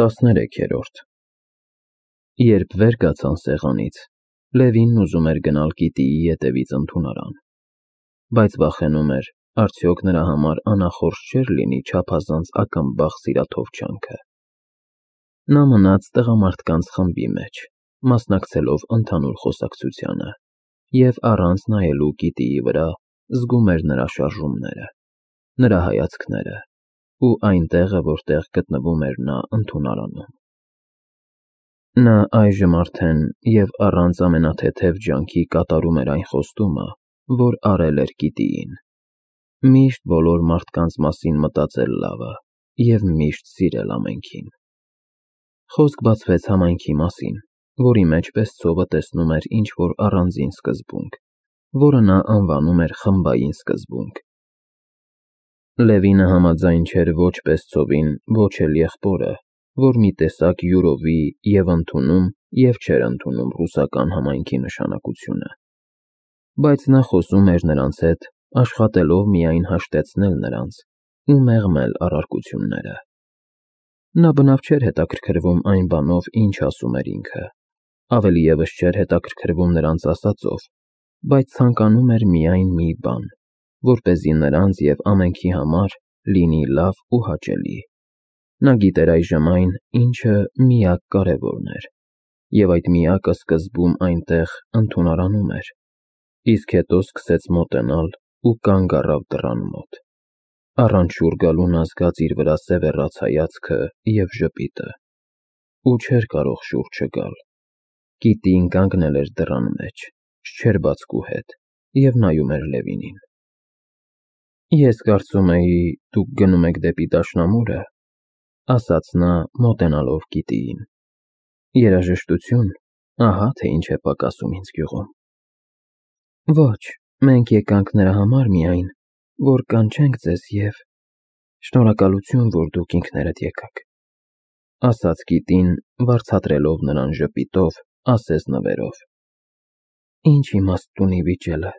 13-րդ Երբ վեր կացան սեղանից, Լևինն ուզում էր գնալ Կիտիի ետևից ընդունարան, բայց վախենում էր, արդյոք նրա համար անախորժ չէր լինի չափազանց ակամբախ սիրաթովչանքը։ Նա մնաց տղամարդկանց խմբի մեջ, մասնակցելով ընդհանուր խոսակցությանը, և առանց նայելու Կիտիի վրա զգում էր նրա շարժումները, նրա հայացքները ու այն տեղը, որտեղ գտնվում էր նա ընդունարանում։ Նա այժմ արդեն և առանց ամենաթեթև ջանքի կատարում էր այն խոստումը, որ արել էր Կիտիին. միշտ բոլոր մարդկանց մասին մտածել լավը և միշտ սիրել ամենքին։ Խոսք բացվեց համայնքի մասին, որի մեջ Պեսցովը տեսնում էր ինչ-որ առանձին սկզբունք, որը նա անվանում էր խմբային սկզբունք։ Լևինը համաձայն չէր ոչ Պեսցովին, ոչ էլ եղբորը, որ մի տեսակ յուրովի և ընդունում և չէր ընդունում ռուսական համայնքի նշանակությունը, բայց նա խոսում էր նրանց հետ, աշխատելով միայն հաշտեցնել նրանց ու մեղմել առարկությունները։ Նա բնավ չէր հետաքրքրվում այն բանով, ինչ ասում էր ինքը, ավելի ևս չէր հետաքրքրվում նրանց ասածով, բայց ցանկանում էր միայն մի բան, որպեսզի նրանց և ամենքի համար լինի լավ ու հաճելի։ Նա գիտեր այժմ այն, ինչը միակ կարևորն էր, և այդ միակը սկզբում այնտեղ ընդունարանում էր, իսկ հետո սկսեց մոտենալ ու կանգ առավ դռան մոտ։ Առանց շուռ գալու նա զգաց իր վրա սևեռաց հայացքը և ժպիտը, ու չէր կարող շուռ չգալ։ Կիտին կանգնել էր դռան մեջ, շչերբացկու հետ, և նայում էր Լևինին։ «Ես կարծում էի, դուք գնում եք դեպի դաշնամուրը», ասաց նա, մոտենալով Կիտիին։ «Երաժշտություն, ահա թե ինչ է պակասում ինձ գյուղում»։ «Ոչ, մենք եկանք նրա համար միայն, որ կանչենք ձեզ և շնորհակալություն, որ դուք ինքներդ եկաք», ասաց Կիտին, վարձատրելով նրան ժպիտով, ասես նվերով։ «Ինչ իմաստ ունի վիճելը,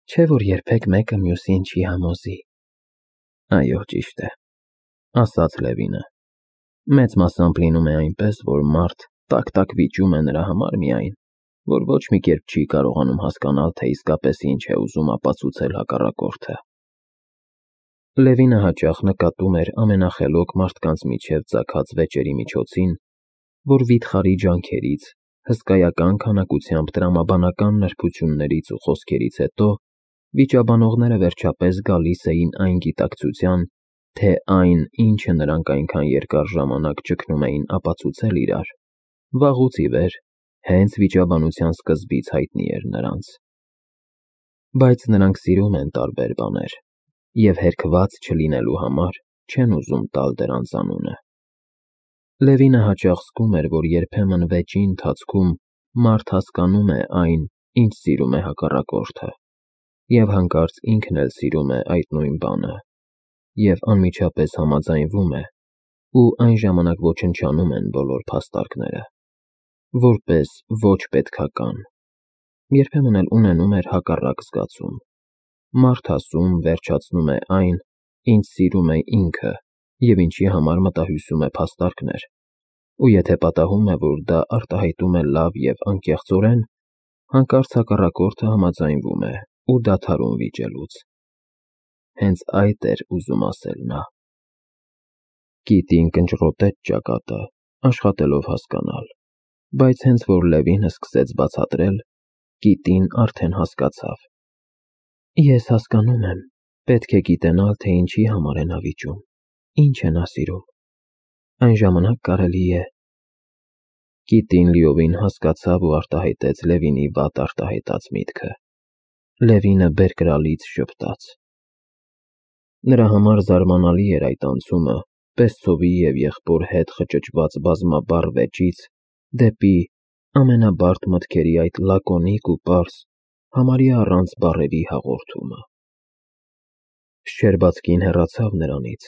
չէ՞ որ երբեք մեկը մյուսին չի համոզի»։ «Այո, ճիշտ է», ասաց Լևինը։ «Մեծ մասամբ լինում է այնպես, որ մարդ տակ-տակ վիճում է նրա համար միայն, որ ոչ մի կերպ չի կարողանում հասկանալ, թե իսկապես ինչ է ուզում ապացուցել հակառակորդը»։ Լևինը հաճախ նկատում էր ամենախելոք մարդկանց միջև ծագած վեճերի միջոցին, որ վիթխարի ջանքերից, հսկայական քանակությամբ տրամաբանական նրբություններից ու խոսքերից հետո վիճաբանողները վերջապես գալիս էին այն գիտակցության, թե այն, ինչը նրանք այնքան երկար ժամանակ ճգնում էին ապացուցել իրար, վաղուց ի վեր հենց վիճաբանության սկզբից հայտնի էր նրանց։ Բայց նրանք սիրում են տարբեր բաներ և հերքված չլինելու համար չեն ուզում տալ դրանց անունը։ Լևինը հաճախ զգում էր, որ երբեմն վեճի ընթացքում մարդ հասկանում է այն, ինչ սիրում է հակառակորդը, և հանկարծ ինքն էլ սիրում է այդ նույն բանը, և անմիջապես համաձայնվում է, ու այն ժամանակ ոչնչանում են բոլոր փաստարկները, որպես ոչ պետքական։ Երբեմն էլ ունենում էր հակառակ զգացում. մարդ ասում, վերջացնում է այն, ինչ սիրում է ինքը և ինչի համար մտահյուսում է փաստարկներ, ու եթե պատահում է, որ դա արտահայտում է լավ և անկեղծորեն, հանկարծ հակառակորդը համաձայնվում է ու դադարում վիճելուց։ Հենց այդ էր ուզում ասել նա։ Կիտին կնճռոտեց ճակատը, աշխատելով հասկանալ, բայց հենց որ Լևինը սկսեց բացատրել, Կիտին արդեն հասկացավ։ «Ես հասկանում եմ, պետք է գիտենալ, թե ինչի համար է նա վիճում, ինչ է նա սիրում։ Այն ժամանակ կարելի է…» Կիտին լիովին հասկացավ ու արտահայտեց Լևինի վատ արտահայտած միտքը։ Լևինը բերկրալից ժպտաց։ Նրա համար զարմանալի էր այդ անցումը Պեսցովի և եղբոր հետ խճճված բազմաբառ վեճից դեպի ամենաբարդ մտքերի այդ լակոնիկ ու պարզ, համարյա առանց բառերի հաղորդումը։ Շչերբацկին հեռացավ նրանից,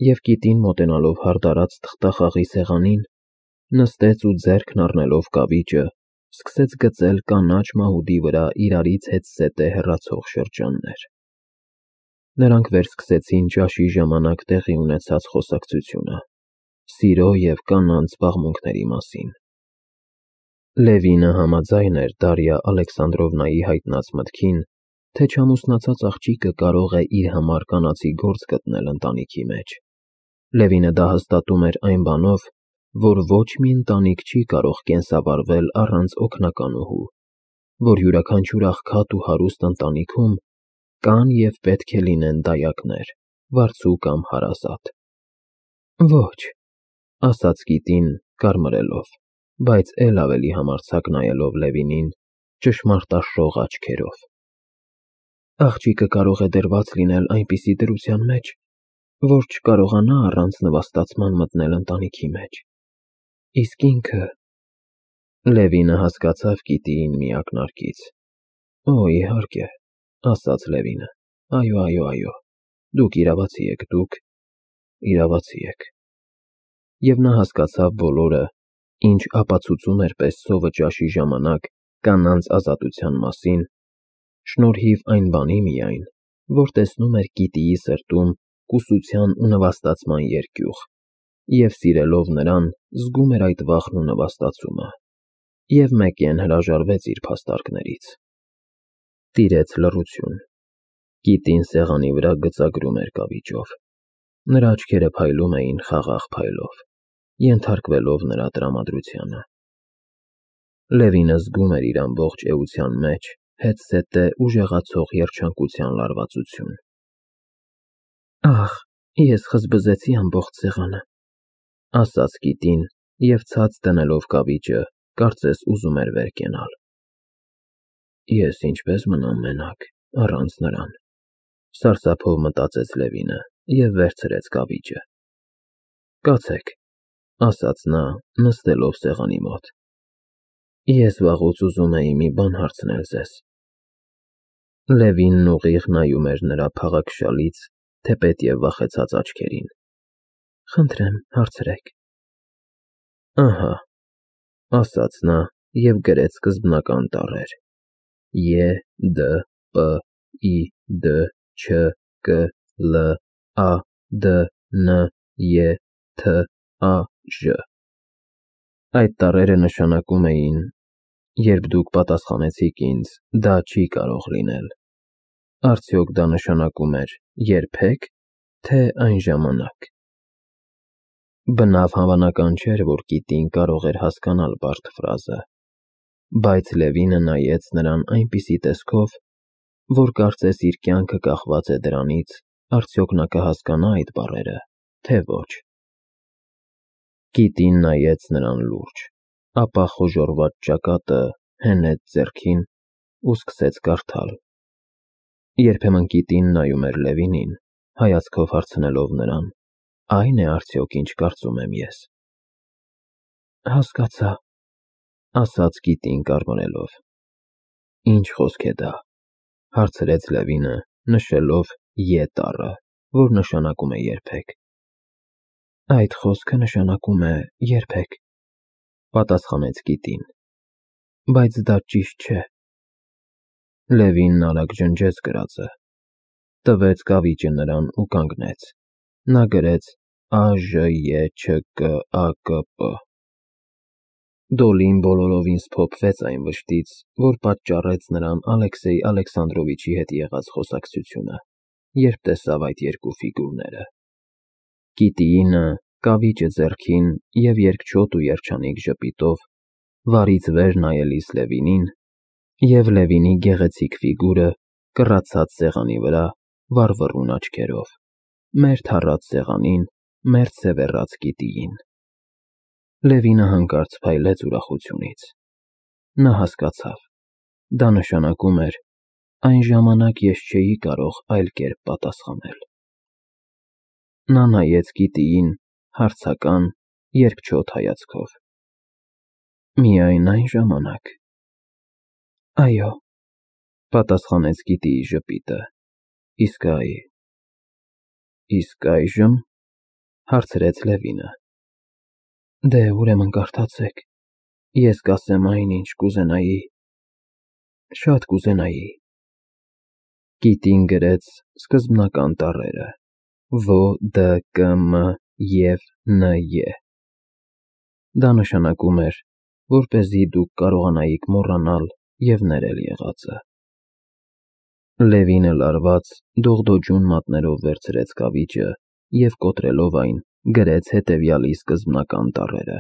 և Կիտին, մոտենալով հարդարած թղթախաղի սեղանին, նստեց ու ձեռքն առնելով կավիճը, սկսեց գծել կանաչ մահուդի վրա իրարից հետզհետե հեռացող շրջաններ։ Նրանք վերսկսեցին ճաշի ժամանակ տեղի ունեցած խոսակցությունը, սիրո և կանանց զբաղմունքների մասին։ Լևինը համաձայն էր Դարիա Ալեքսանդրովնայի հայտնած մտքին, թե չամուսնացած աղջիկը կարող է իր համար կանացի գործ գտնել ընտանիքի մեջ։ Լևինը դա հաստատում էր այն բանով, որ ոչ մի ընտանիք չի կարող կենսավարվել առանց օգնականուհու, որ յուրաքանչյուր աղքատ ու հարուստ ընտանիքում կան և պետք է լինեն դայակներ, վարձու կամ հարազատ։ Ոչ, ասաց Կիտին, կարմրելով, բայց էլ ավելի համարձակ նայելով Լևինին ճշմարտաշող աչքերով։ Աղջիկը կարող է դրված լինել այնպիսի դրության մեջ, որ չկարողանա առանց նվաստացման մտնել ընտանիքի մեջ։ Իսկ ինքը… Լևինը հասկացավ Կիտիին մի ակնարկից։ Օ, իհարկե, ասաց Լևինը, այո, դուք իրավացի եք։ Եվ նա հասկացավ բոլորը, ինչ ապացուցում էր պես սովը ճաշի ժամանակ կանանց ազատության մասին, շնորհիվ այն բանի միայն, որ տեսնում էր Կիտիի սրտում կուսության ու նվաստացման երկյուղ, և սիրելով նրան զգում էր այդ վախն ու նվաստացումը, և մեկեն հրաժարվեց իր փաստարկներից։ Տիրեց լռություն։ Կիտին սեղանի վրա գծագրում էր կավիճով։ Նրա աչքերը փայլում էին խաղաղ փայլով, ենթարկվելով նրա տրամադրությանը։ Լևինը զգում էր իր ամբողջ էության մեջ հետզհետե ուժեղացող երջանկության լարվածություն։ Ահ, ես խզբզեցի ամբողջ սեղանը, ասաց Կիտին և ցած դնելով կավիճը, կարծես ուզում էր վեր կենալ։ Ես ինչպես մնամ մենակ, առանց նրան, սարսափով մտածեց Լևինը և վերցրեց կավիճը։ Կացեք, ասաց նա, նստելով սեղանի մոտ։ Ես վաղուց ուզում էի մի բան հարցնել ձեզ։ Լևինն ուղիղ նայում էր նրա փաղաքշալից, թեպետ և վախեցած աչքերին։ Խնդրեմ, հարցրեք։ Ահա, ասաց նա և գրեց սկզբնական տառեր. Ե, Դ, Պ, I, D, Չ, Կ, Լ, A, D, N, Ե, Թ, A, Ž։ Այդ տառերը նշանակում էին, երբ դուք պատասխանեցիք ինձ, դա չի կարող լինել, արդյոք դա նշանակում էր երբեք, թե այն ժամանակ։ Բնավ հավանական չէր, որ Կիտին կարող էր հասկանալ բարդ ֆրազը, բայց Լևինը նայեց նրան այնպիսի տեսքով, որ կարծես իր կյանքը կախված է դրանից, արդյոք նա կհասկանա այդ բառերը, թե ոչ։ Կիտին նայեց նրան լուրջ, ապա խոժոռված ճակատը հենեց ձեռքին ու սկսեց կարդալ։ Երբեմն Կիտին նայում էր Լևինին, հայացքով հարցնելով նրան. Այն է արդյոք, ինչ կարծում եմ ես։ Հասկացա, ասաց Կիտին կարմրելով։ Ինչ խոսք է դա, հարցրեց Լևինը, նշելով Ե տառը, որ նշանակում է երբեք։ Այդ խոսքը նշանակում է երբեք, պատասխանեց Կիտին, բայց դա ճիշտ չէ։ Լևինն արագ ջնջեց գրածը, տվեց կավիճը նրան ու կանգնեց։ Նա գրեց AԺԵՉԿԱԿՊ։ Դոլին բոլորովին սփոփվեց այն վշտից, որ պատճառեց նրան Ալեքսեյ Ալեքսանդրովիչի հետ եղած խոսակցությունը, երբ տեսավ այդ երկու ֆիգուրները։ Կիտինը, կավիճը ձեռքին և երկչոտ ու երջանիկ ժպիտով, վարից վեր նայելիս Լևինին, և Լևինի գեղեցիկ ֆիգուրը կռացած սեղանի վրա, վառվռուն աչքերով, մերթ հառած սեղանին, մերթ սևեռած Կիտիին։ Լևինը հանկարծ փայլեց ուրախությունից։ Նա հասկացավ, դա նշանակում էր, այն ժամանակ ես չէի կարող այլ կերպ պատասխանել։ Նա նայեց Կիտիին հարցական, երկչոտ հայացքով։ Միայն այն ժամանակ։ Այո, պատասխանեց Կիտիի ժպիտը։ Իսկ այժմ, հարցրեց Լևինը։ Դե, ուրեմն կարդացեք, ես կասեմ այն, ինչ կուզենայի, շատ կուզենայի։ Կիտին գրեց սկզբնական տառերը Վ, Դ, Կ, Մ, և Ն.Ե. Դա նշանակում էր, որպեսզի դուք կարողանայիք մոռանալ և ներել եղածը։ Լևինը լարված, դողդոջուն մատներով վերցրեց կավիճը և կոտրելով այն, գրեց հետևյալի սկզբնական տառերը.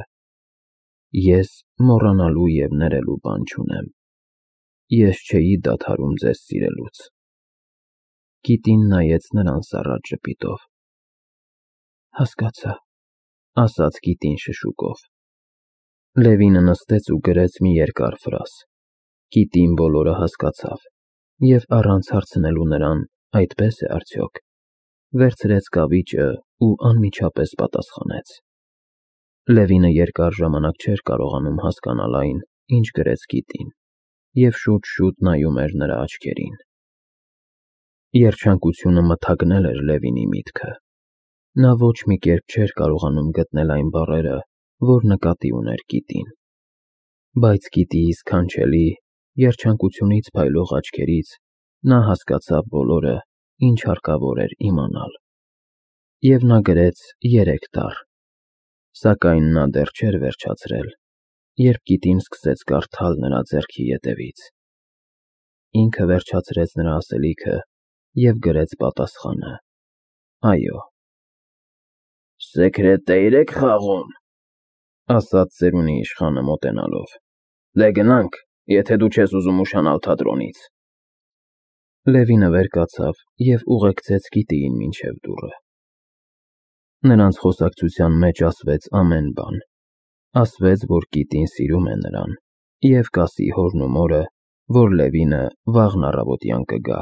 Ես մոռանալու և ներելու բան չունեմ։ Ես չէի դադարում ձեզ սիրելուց։ Կիտին նայեց նրան սառած ժպիտով։ Հասկացա, ասաց կիտին շշուկով։ Լևինը նստեց ու գրեց մի երկար ֆրազ։ Կիտին բոլորը հասկացավ և առանց հարցնելու նրան, այդպես է արդյոք, վերցրեց կավիճը ու անմիջապես պատասխանեց։ Լևինը երկար ժամանակ չէր կարողանում հասկանալ այն, ինչ գրեց կիտին, և շուտ-շուտ նայում էր նրա աչքերին։ Երջանկությունը մթագնել էր Լևինի միտքը։ Նա ոչ մի կերպ չէր կարողանում գտնել այն բառերը, որ նկատի ուներ կիտին։ Բայց կիտիի սքանչելի, երջանկությունից փայլող աչքերից նա հասկացավ բոլորը, ինչ հարկավոր էր իմանալ։ Եվ նա գրեց 3 տառ։ Սակայն նա դեռ չէր վերջացրել, երբ կիտին սկսեց կարդալ նրա ձեռքի ետևից։ Ինքը վերջացրեց նրա ասելիքը և գրեց պատասխանը. Այո։ Սեկրետեյր եք խաղում, ասաց ծերունի իշխանը մոտենալով։ Դե գնանք, եթե դու չես ուզում ուշանալ թատրոնից։ Լևինը վեր կացավ և ուղեկցեց կիտիին մինչև դուռը։ Նրանց խոսակցության մեջ ասվեց ամեն բան։ Ասվեց, որ կիտին սիրում է նրան, և կասի հորն ու մորը, որ Լևինը վաղն առավոտյան կգա։